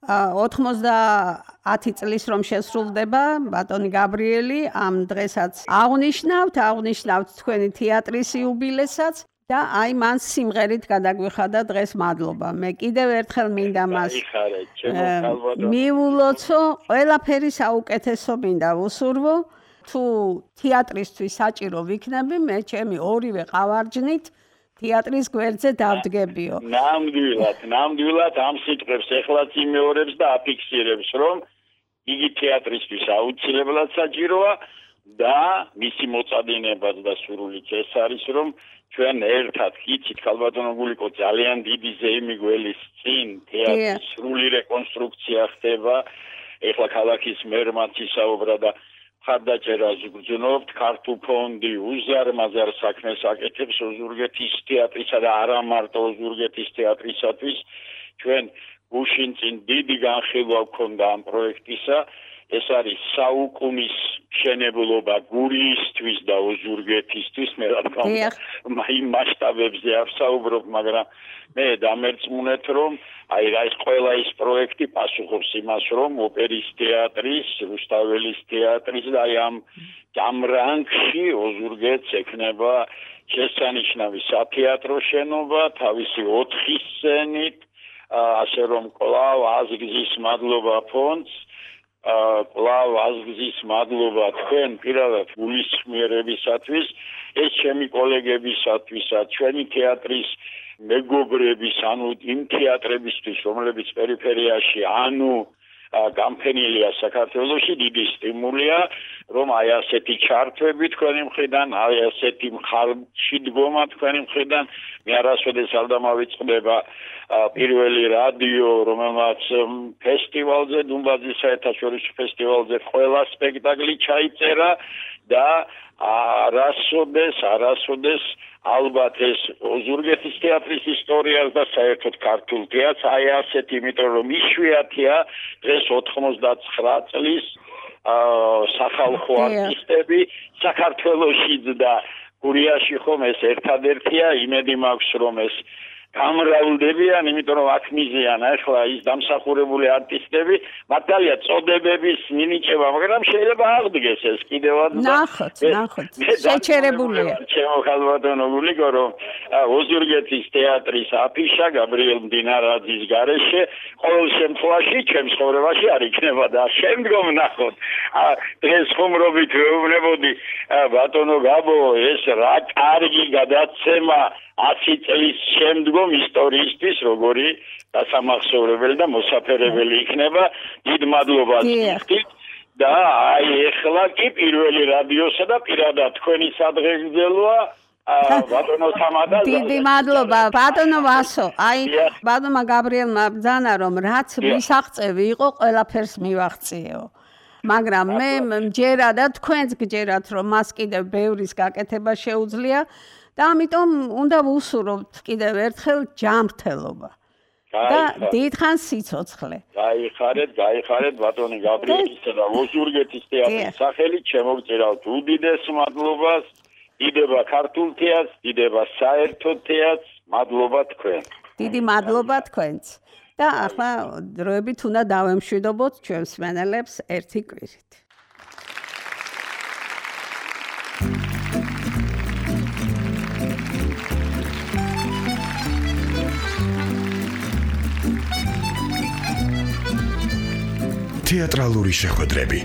90 წლის რომ შესრულდება ბატონი გაბრიელი, ამ დღესაც აღნიშნავთ თქვენი თეატრის იუბილესაც და აი მან სიმღერით გადაგვიხადა დღეს მადლობა. მე კიდევ ერთხელ მინდა მას მიულოცო, ყველაფერი საუკეთესო მინდა ვუსურვო. თუ თეატრისთვის საჭირო ვიქნები, მე ჩემი ორივე ყავარჯნით თეატრის გვერდზე დავდგებიო. ნამდვილად ამ სიტყვებს ეხლაც იმეორებს და აფიქსირებს, რომ იგი თეატრისთვის აუცილებლად საჭიროა და მისი მოწადინებაც და სურვილიც ეს არის, რომ ჩვენ ერთად იცით ქალბატონო გულიკო ძალიან დიდი ზეიმი გველის წინ თეატრის სრული რეკონსტრუქცია ხდება. ეხლა ქალაქის მერმაც ისაუბრა და ხარდაჭერას გრძნობთ, ქართულ ფონდი უზარმაზარ საქმეს აკეთებს ოზურგეთის თეატრისა და არა მარტო ოზურგეთის თეატრისათვის. ჩვენ გუშინ წინ დიდი განხილვა გვქონდა ამ პროექტისა. ეს არის საუკუნის მშენებლობა გურიისთვის და ოზურგეთისთვის. მე რა თქმა უნდა იმ მასშტაბებზე არ ვსაუბრობ, მაგრამ მე დამერწმუნეთ, რომ აი რა ის ყველა ის პროექტი პასუხობს იმას, რომ ოპერის თეატრის, რუსთაველის თეატრის და აი ამ რანგში ოზურგეთს ექნება შესანიშნავი სათეატრო შენობა, თავისი 4 სცენით, ასე რომ კვლავ აზგზის მადლობა ფონდს, კვლავ აზგზის მადლობა თქვენ პირადად გულისხმიერებისათვის, ეს ჩემი კოლეგებისათვისაც, ჩვენი თეატრის მეგობრების, ანუ იმ თეატრებისთვის, რომლებიც პერიფერიაში, ანუ გამფენილია საქართველოში, დიდი სტიმულია, რომ აი ასეთი ჩართვები თქვენი მხრიდან, აი ასეთი მხარში დგომა თქვენი მხრიდან, მე არასოდეს არ დამავიწყდება პირველი რადიო, რომელმაც ფესტივალზე, დუმბაძის საერთაშორისო ფესტივალზე ყველა სპექტაკლი ჩაიწერა და არასოდეს ალბათ ეს ოზურგეთის თეატრის ისტორიას და საერთოდ ქართულ თეატრს აი ასეთ, იმიტომ რომ იშვიათია დღეს 99 წლის სახალხო არტისტები საქართველოშიც და გურიაში ხომ ეს ერთადერთია, იმედი მაქვს რომ ეს გამრავლდებიან, იმიტომ რომ აქ მიზიან ახლა ის დამსახურებული არტისტები, მართალია წოდებების მინიჭება, მაგრამ შეიძლება აღდგეს ეს კიდევაც და ნახოთ, შეჩერებულია. ჩემო ხალბატონო გულიკო, რომ ოზურგეთის თეატრის აფიშა გაბრიელ მდინარაძის გარეშე ყოველ შემთხვევაში ჩემს ცხოვრებაში არ იქნება და შემდგომ ნახოთ. დღეს ხუმრობით ვეუბნებოდი ბატონო გაბო, ეს რა კარგი გადაცემა 100 წლის შემდგომ ისტორიისთვის როგორი დასამახსოვრებელი და მოსაფერებელი იქნება. დიდ მადლობას გიხდით და აი ეხლა კი პირველი რადიოსა და პირადად თქვენი სადღეგრძელოა ბატონო თამადა. დიდი მადლობა ბატონო ვასო. აი ბატონმა გაბრიელმა ბრძანა რომ რაც მისაღწევი იყო ყველაფერს მივაღწიეო. მაგრამ მე მჯერა და თქვენც გჯერათ რომ მას კიდევ ბევრის გაკეთება შეუძლია. და ამიტომ უნდა ვუსურვოთ კიდევ ერთხელ ჯანმრთელობა და დიდხანს სიცოცხლე. გაიხარეთ ბატონი გაბრიელისა და ოზურგეთის თეატრის სახელით შემოგწერავთ უდიდეს მადლობას. დიდება ქართულ თეატრს, დიდება საერთო თეატრს, მადლობა თქვენ. დიდი მადლობა თქვენც. და ახლა დროებით უნდა დავემშვიდობოთ ჩვენს მსმენელებს ერთი კვირით. თეატრალური შეხვედრები